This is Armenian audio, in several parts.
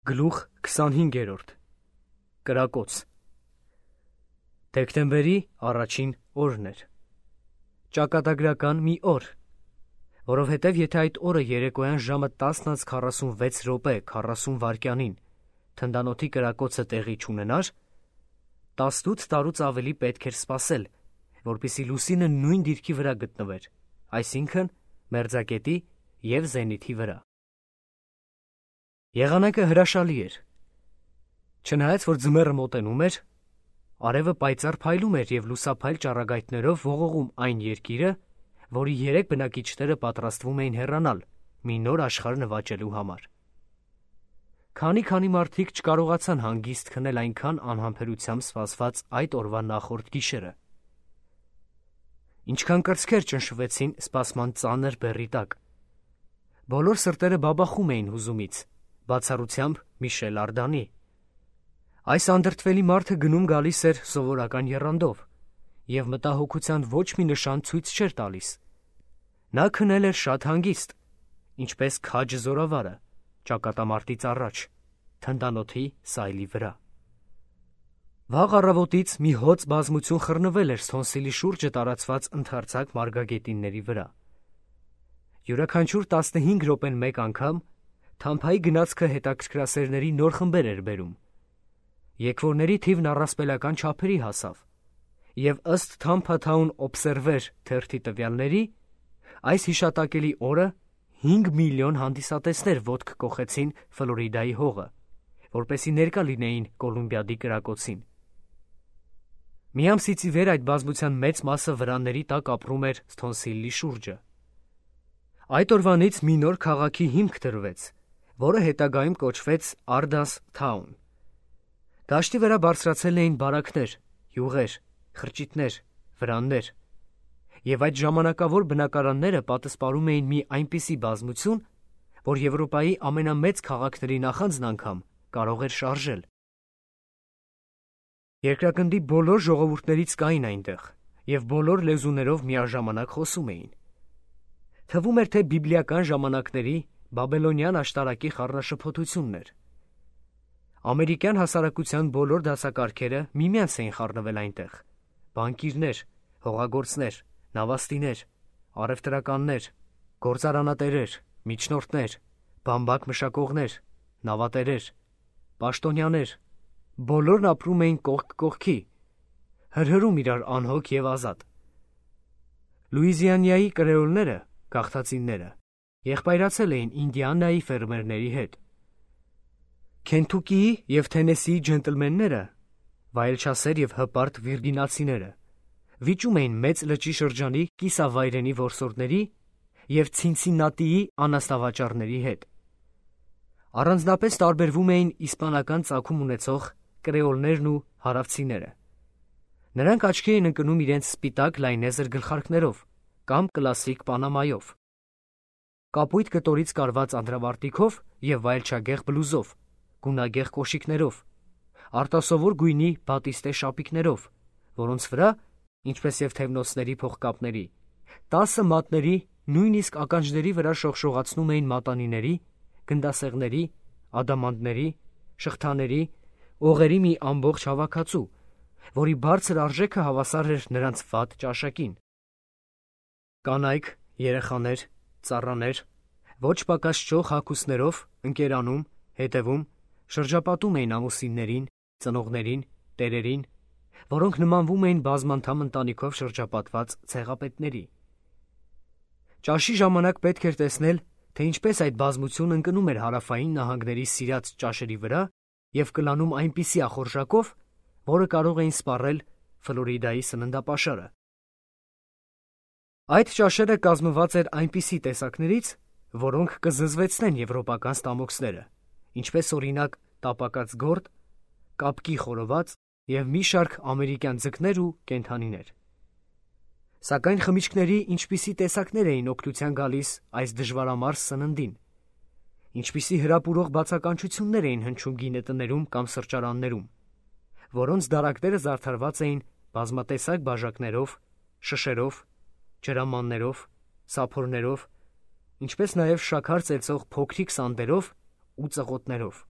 Գլուխ 25. Կրակոց։ Դեկտեմբերի առաջին օրն էր։ Ճակատագրական մի օր, որովհետև եթե այդ օրը երեկոյան ժամը 10:46 վայրկյանին թնդանոթի կրակոցը տեղի չունենար, 18 տարուց ավելի պետք էր սպասել, որպեսզի լուսինը նույն դիրքի վրա գտնվեր, այսինքն մերձակետի և զենիթի վրա։ Եղանակը հրաշալի էր։ Չնայած որ ձմեռը մոտենում էր, արևը պայծառ փայլում էր և լուսափայլ ճառագայթներով ողողում այն երկիրը, որի 3 բնակիչները պատրաստվում էին հեռանալ մի նոր աշխարհ նվաճելու համար։ Քանի մարդիկ չկարողացան հանգիստ քնել այնքան անհամբերությամբ սպասված այդ օրվա նախորդ գիշերը։ Ինչքան կրծքեր ճնշվեցին սպասման ծանր բեռի տակ։ Բոլոր սրտերը բաբախում էին հուզումից, բացառությամբ Միշել Արդանի։ Այս անդրդվելի մարդը գնում գալիս էր սովորական եռանդով, և մտահոգության ոչ մի նշան ցույց չէր տալիս։ Նա քնել էր շատ հանգիստ, ինչպես քաջը զորավարը, ճակատամարտից առաջ, թնդանոթի սայլի վրա։ Վաղ առավոտից մի հոծ բազմություն խռնվել էր Սթոնսիլի շուրջը տարածված ընդարձակ մարգագետինների վրա։ Յուրաքանչյուր 15 րոպեն մեկ անգամ թամփայի գնացքը հետաքրքրասերների նոր խմբեր էր բերում։ Եկվորների թիվն առասպելական չափերի հասավ, և ըստ Tampa Town Observer թերթի տվյալների, այս հիշատակելի օրը 5 միլիոն հանդիսատեսներ ոտք կոխեցին Ֆլորիդայի հողը, որպեսզի ներկա լինեին Կոլումբիադի կրակոցին։ Մի ամսից ի վեր այդ բազմության մեծ մասը վրանների տակ ապրում էր Սթոնսիլի շուրջը։ Այդ օրվանից մի նոր քաղաքի հիմք դրվեց, որը հետագայում կոչվեց Արդաս Թաուն։ Դաշտի վրա բարձրացել էին բարակներ, յուղեր, խրճիթներ, վրաններ, և այդ ժամանակավոր բնակարանները պատսպարում էին մի այնպիսի բազմություն, որ Եվրոպայի ամենամեծ քաղաքների նախանձն անգամ կարող էր շարժել։ Երկրագնդի բոլոր ժողովուրդներից կային այնտեղ, և բոլոր լեզուներով միաժամանակ խոսում էին։ Թվում էր, թե բիբլիական ժամանակների բաբելոնյան աշտարակի խառնաշփոթությունն էր։ Ամերիկյան հասարակության բոլոր դասակարգերը միմյանց էին խառնվել այնտեղ. բանկիրներ, հողագործներ, նավաստիներ, առևտրականներ, գործարանատերեր, միջնորդներ, բամբակ մշակողներ, նավատերեր, պաշտոնյաներ, բոլորն ապրում էին կողք կողքի, հրհրում իրար անհոգ և ազատ։ Լուիզիանայի կրեոլները, գաղթածինները, եղբայրացել էին Ինդիանայի ֆերմերների հետ։ Քենթուկիի և Թենեսիի ջենտլմենները, վայելչասեր և հպարտ վիրգինացիները, վիճում էին Մեծ լճի շրջանի կիսավայրենի որսորդների և Ցինցիննատիի անասնավաճառների հետ։ Առանձնապես տարբերվում էին իսպանական ծագում ունեցող կրեոլներն ու հարավցիները։ Նրանք աչքի էին ընկնում իրենց սպիտակ լայնեզր գլխարկներով կամ կլասիկ պանամայով, կապույտ կտորից կարված անդրավարտիքով և վայելչագեղ բլուզով, գունագեղ կոշիկներով, արտասովոր գույնի բատիստե շապիկներով, որոնց վրա, ինչպես և թևնոցների փողկապների, 10 մատների, նույնիսկ ականջների վրա շողշողացնում էին մատանիների, գնդասեղների, ադամանդների, շղթաների, օղերի մի ամբողջ հավաքածու, որի բարձր արժեքը հավասար էր նրանց վատ ճաշակին։ Կանայք, երեխաներ, ծառաներ, ոչ պակաս չող հագուստներով ընկերանում, հետևում, շրջապատում էին ամուսիններին, ծնողներին, տերերին, որոնք նմանվում էին բազմանդամ ընտանիքով շրջապատված ցեղապետների։ Ճաշի ժամանակ պետք էր տեսնել, թե ինչպես այդ բազմությունն ընկնում էր հարավային նահանգների սիրած ճաշերի վրա և կլանում այնպիսի ախորժակով, որը կարող էին սպառել Ֆլորիդայի սննդապաշարը։ Այդ ճաշերը կազմված էր այնպիսի տեսակներից, որոնք կզզվեցնեն եվրոպական ստամոքսները, ինչպես օրինակ տապակած գորտ, կապկի խորոված և մի շարք ամերիկյան ձկներ ու կենդանիներ։ Սակայն խմիչքների ինչպիսի տեսակներ էին օգնության գալիս այս դժվարամարս սննդին, ինչպիսի հրապուրող բացականչություններ էին հնչում գինետներում կամ սրճարաններում, որոնց դարակները զարդարված էին բազմատեսակ բաժակներով, շշերով, ջրամաններով, սափորներով, ինչպես նաև շաքար ծեծող փոքրիկ սանդերով ու ծղոտներով։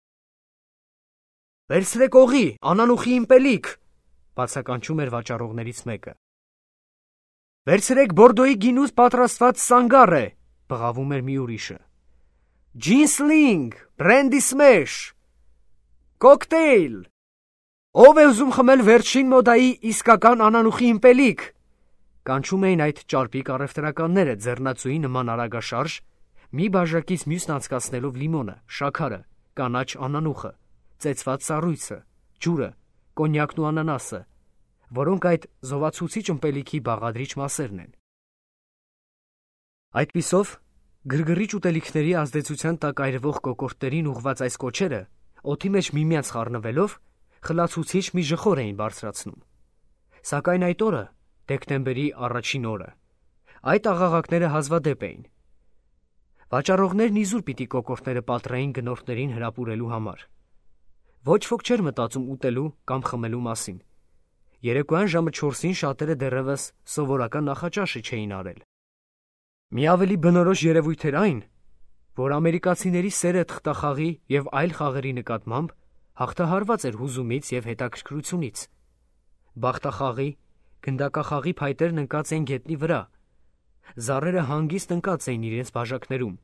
Վերցրեք օղի, անանուխի իմպելիք, բացականչում էր վաճառողներից մեկը։ Վերցրեք Բորդոյի գինուց պատրաստված սանգառ է, բղավում էր մի ուրիշը։ Ջինսլինգ, բրենդի սմեշ, կոկտեյլ։ Ով է ուզում խմել վերջին մոդայի իսկական անանուխի իմպելիք, կանչում էին այդ ճարպիկ առևտրականները ձեռնածուի նման արագաշարժ, մի բաժակից մյուսն անցկացնելով լիմոնը, շաքարը, կանաչ անանուխը, ծեծված սառույցը, ջուրը, կոնյակն ու անանասը, որոնք այդ զովացուցիչ ըմպելիքի բաղադրիչ մասերն են։ Այդպիսով, գրգռիչ ուտելիքների ազդեցության տակ այրվող կոկորդներին ուղված այս կոչերը, օդի մեջ միմյանց խառնվելով, խլացուցիչ մի ժխոր էին բարձրացնում։ Սակայն այդ օրը, դեկտեմբերի առաջին օրը, այդ աղաղակները հազվադեպ էին։ Վաճառողներն իզուր պիտի կոկորդները պատռեին գնորդներին հրապուրելու համար։ Ոչ ոք չէր մտածում ուտելու կամ խմելու մասին։ Երեկոյան ժամը 4-ին շատերը դեռևս սովորական նախաճաշը չէին արել։ Մի ավելի բնորոշ երևույթ էր այն, որ ամերիկացիների սերը թղթախաղի և այլ խաղերի նկատմամբ հաղթահարված էր հուզումից և հետաքրքրությունից։ Բախտախաղի, գնդակախաղի փայտերն ընկած էին գետնի վրա, զառերը հանգիստ ընկած էին իրենց բաժակներում,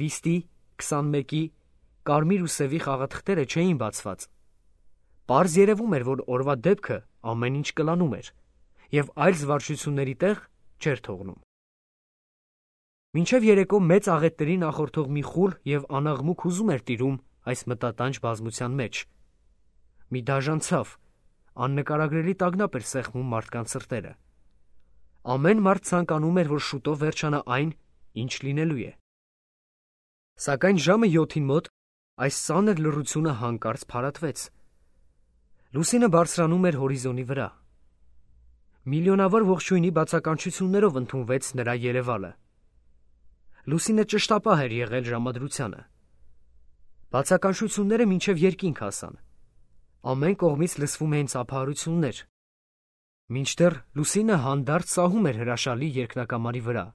վիստի, 21-ի, կարմիր ու սևի խաղաթղթերը չէին բացված։ Պարզ երևում էր, որ օրվա դեպքը ամեն ինչ կլանում էր և այլ զվարճությունների տեղ չէր թողնում։ Մինչև երեկո մեծ աղետների նախորդող մի խուլ և անաղմուկ հուզում էր տիրում այս մտատանջ բազմության մեջ։ Մի դաժան ցավ, աննկարագրելի տագնապ էր սեղմում մարդկանց սրտերը։ Ամեն մարդ ցանկանում էր, որ շուտով վերջանա այն, ինչ լինելու է։ Սակայն ժամը 7-ին մոտ այս ծանր լռությունը հանկարծ փարատվեց։ Լուսինը բարձրանում էր հորիզոնի վրա։ Միլիոնավոր ողջույնի բացականչություններով ընդունվեց նրա երևալը։ Լուսինը ճշտապահ էր եղել ժամադրությանը։ Բացականչությունները մինչև երկինք հասան։ Ամեն կողմից լսվում էին ծափահարություններ։ Մինչդեռ Լուսինը հանդարտ սահում էր հրաշալի երկնակամարի վրա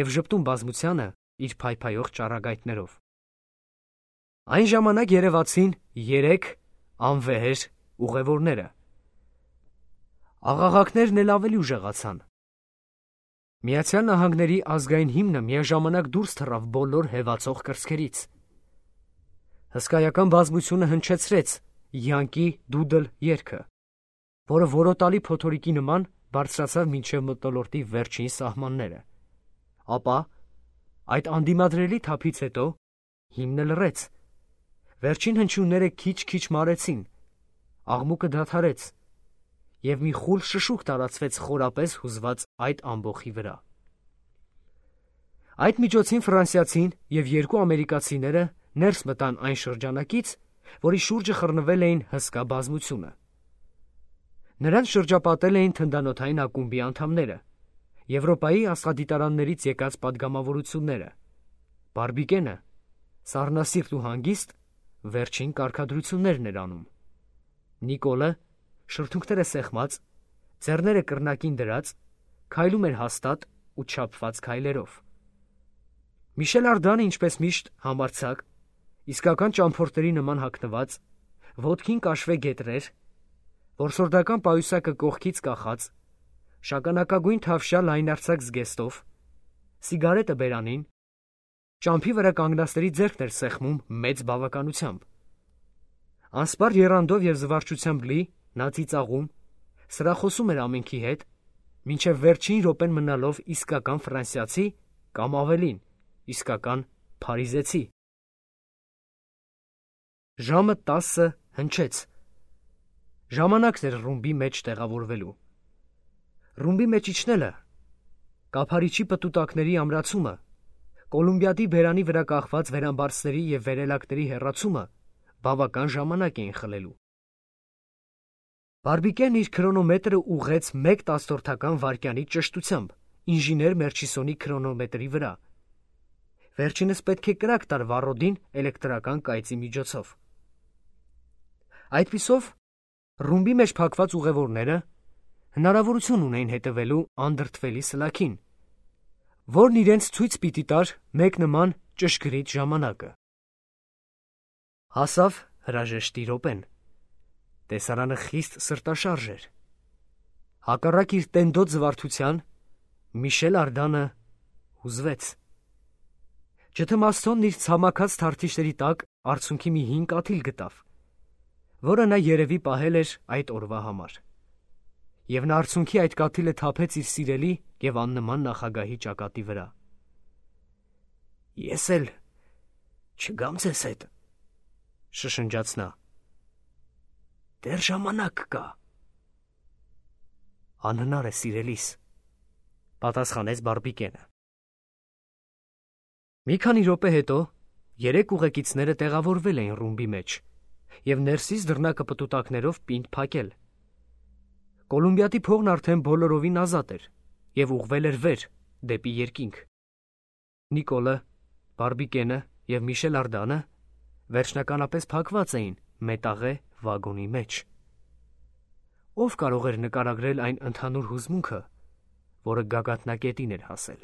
և ժպտում բազմությանը իր փայփայող ճառագայթներով։ Այն ժամանակ երևացին 3 անվեհեր ուղևորները։ Աղաղակներն էլ ավելի ուժեղացան։ Միացյալ Նահանգների ազգային հիմնը միաժամանակ դուրս թռավ բոլոր հևացող կրծքերից։ Հսկայական բազմությունը հնչեցրեց յանկի դուդլ երգը, որը որոտալի փոթորիկի նման բարձրացավ մինչև մթնոլորտի վերջին սահմանները։ Ապա, այդ անդիմադրելի թափից հետո, հիմնը լռեց։ Վերջին հնչյունները քիչ-քիչ մարեցին, աղմուկը դադարեց, և մի խուլ շշուկ տարածվեց խորապես հուզված այդ ամբոխի վրա։ Այդ միջոցին ֆրանսիացին և 2 ամերիկացիները ներս մտան այն շրջանակից, որի շուրջը խռնվել էին հսկա բազմությունը։ Նրանց շրջապատել էին թնդանոթային ակումբի անդամները, Եվրոպայի աստղադիտարաններից եկած պատգամավորությունները, Բարբիկենը, սառնասիրտ ու հանգիստ, վերջին կարգադրություններն էր անում։ Նիկոլը, շրթունքները սեղմած, ձեռները կռնակին դրած, քայլում էր հաստատ ու չափված քայլերով։ Միշել Արդանը, ինչպես միշտ, համարձակ, իսկական ճամփորդների նման հագնված, ոտքին կաշվե գետրեր, որսորդական պայուսակը կողքից կախած, շագանակագույն թավշյա լայնարձակ զգեստով, սիգարետը բերանին, ճամփի վրա կանգնածների ձեռքն էր սեղմում մեծ բավականությամբ։ Անսպառ եռանդով և զվարճությամբ լի, նա ծիծաղում, սրախոսում էր ամենքի հետ, մինչև վերջին րոպեն մնալով իսկական ֆրանսիացի կամ ավելին, իսկական փարիզեցի։ Ժամը 10-ը հնչեց։ Ժամանակն էր ռումբի մեջ տեղավորվելու։ Ռումբի մեջ իջնելը, կափարիչի պտուտակների ամրացումը, Կոլումբիադի բերանի վրա կախված վերամբարձների և վերելակների հեռացումը բավական ժամանակ էին խլելու։ Բարբիկեն իր քրոնոմետրը ուղղեց 1/10 վայրկյանի ճշտությամբ ինժեներ Մերչիսոնի քրոնոմետրի վրա։ Վերջինս պետք է կրակ տար վառոդին էլեկտրական կայծի միջոցով։ Այդպիսով, ռումբի մեջ փակված ուղևորները հնարավորություն ունեին հետևելու անդրդվելի սլաքին, որն իրենց ցույց պիտի տար մեկ նման ճշգրիտ ժամանակը։ Հասավ հրաժեշտի րոպեն։ Տեսարանը խիստ սրտաշարժ էր։ Հակառակ իր տենդոտ զվարթության, Միշել Արդանը հուզվեց։ Ջթմաստոնն իր ցամաքած թարթիչների տակ արցունքի մի հին կաթիլ գտավ, որը նա երևի պահել էր այդ օրվա համար։ Եվ նա արցունքի այդ կաթիլը թափեց իր սիրելի և աննման նախագահի ճակատի վրա։ «Ես էլ չգամ ձեզ հետ», շշնջաց նա։ «Դեռ ժամանակ կա»։ «Անհնար է, սիրելիս», պատասխանեց Բարբիկենը։ Մի քանի րոպե հետո երեք ուղեկիցները տեղավորվել էին ռումբի մեջ և ներսից դռնակը պտուտակներով պինդ փակել։ Կոլումբիադի փողն արդեն բոլորովին ազատ էր և ուղղվել էր վեր, դեպի երկինք։ Նիկոլը, Բարբիկենը և Միշել Արդանը վերջնականապես փակված էին մետաղե վագոնի մեջ։ Ով կարող էր նկարագրել այն ընդհանուր հուզմունքը, որը գագաթնակետին էր հասել։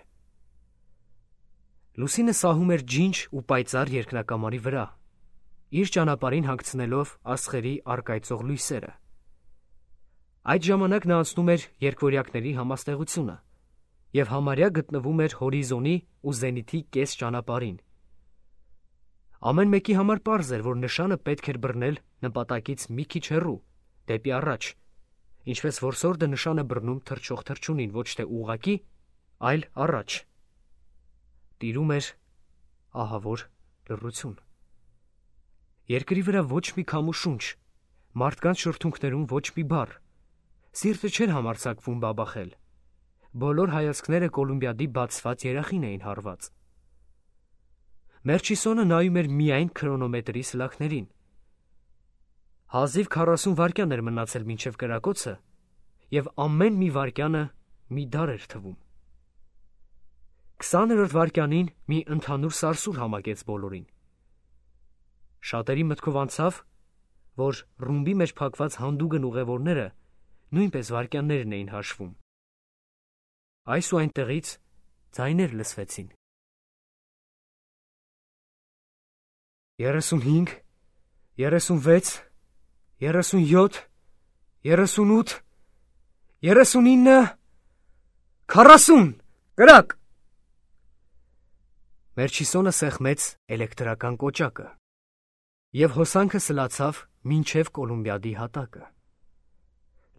Լուսինը սահում էր ջինջ ու պայծառ երկնակամարի վրա, իր ճանապարհին հանգցնելով աստղերի առկայծող լույսերը։ Այդ ժամանակ նա անցնում էր երկվորյակների համաստեղությունը և համարյա գտնվում էր հորիզոնի ու զենիթի կես ճանապարհին։ Ամեն մեկի համար պարզ էր, որ նշանը պետք էր բռնել նպատակից մի քիչ հեռու, դեպի առաջ, ինչպես որսորդը նշան է բռնում թռչող թռչունին ոչ թե ուղղակի, այլ առաջ։ Տիրում էր ահավոր լռություն։ Երկրի վրա ոչ մի քամու շունչ, մարդկանց շրթունքներում ոչ մի բառ, սիրտը չէր համարձակվում բաբախել։ Բոլոր հայացքները Կոլումբիադի բացված երախին էին հարված։ Մերչիսոնը նայում էր միայն քրոնոմետրի սլաքներին։ Հազիվ 40 վայրկյան էր մնացել մինչև կրակոցը, և ամեն մի վայրկյանը մի դար էր թվում։ 20-րդ վայրկյանին մի ընդհանուր սարսուռ համակեց բոլորին։ Շատերի մտքով անցավ, որ ռումբի մեջ փակված հանդուգն ուղևորները նույնպես վայրկյաններն էին հաշվում։ Այս ու այնտեղից ձայներ լսվեցին. 35, 36, 37, 38, 39, 40, կրակ։ Մերչիսոնը սեղմեց էլեկտրական կոճակը և հոսանքը սլացավ մինչև Կոլումբիադի հատակը։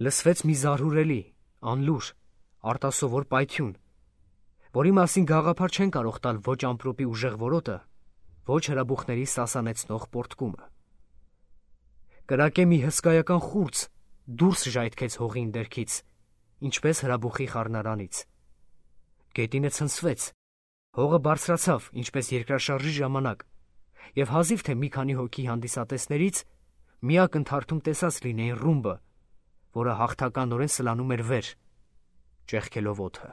Լսվեց մի զարհուրելի, անլուր, արտասովոր պայթյուն, որի մասին գաղափար չեն կարող տալ ոչ ամպրոպի ուժեղ որոտը, ոչ հրաբուխների սասանեցնող պոռթկումը։ Կրակե մի հսկայական խուրձ դուրս ժայթքեց հողի ընդերքից, ինչպես հրաբուխի խառնարանից։ Գետինը ցնցվեց, հողը բարձրացավ, ինչպես երկրաշարժի ժամանակ, և հազիվ թե մի քանի հոգի հանդիսատեսներից մի ակնթարթում տեսած լինեին ռումբը, որը հաղթականորեն սլանում էր վեր, ճեղքելով օդը։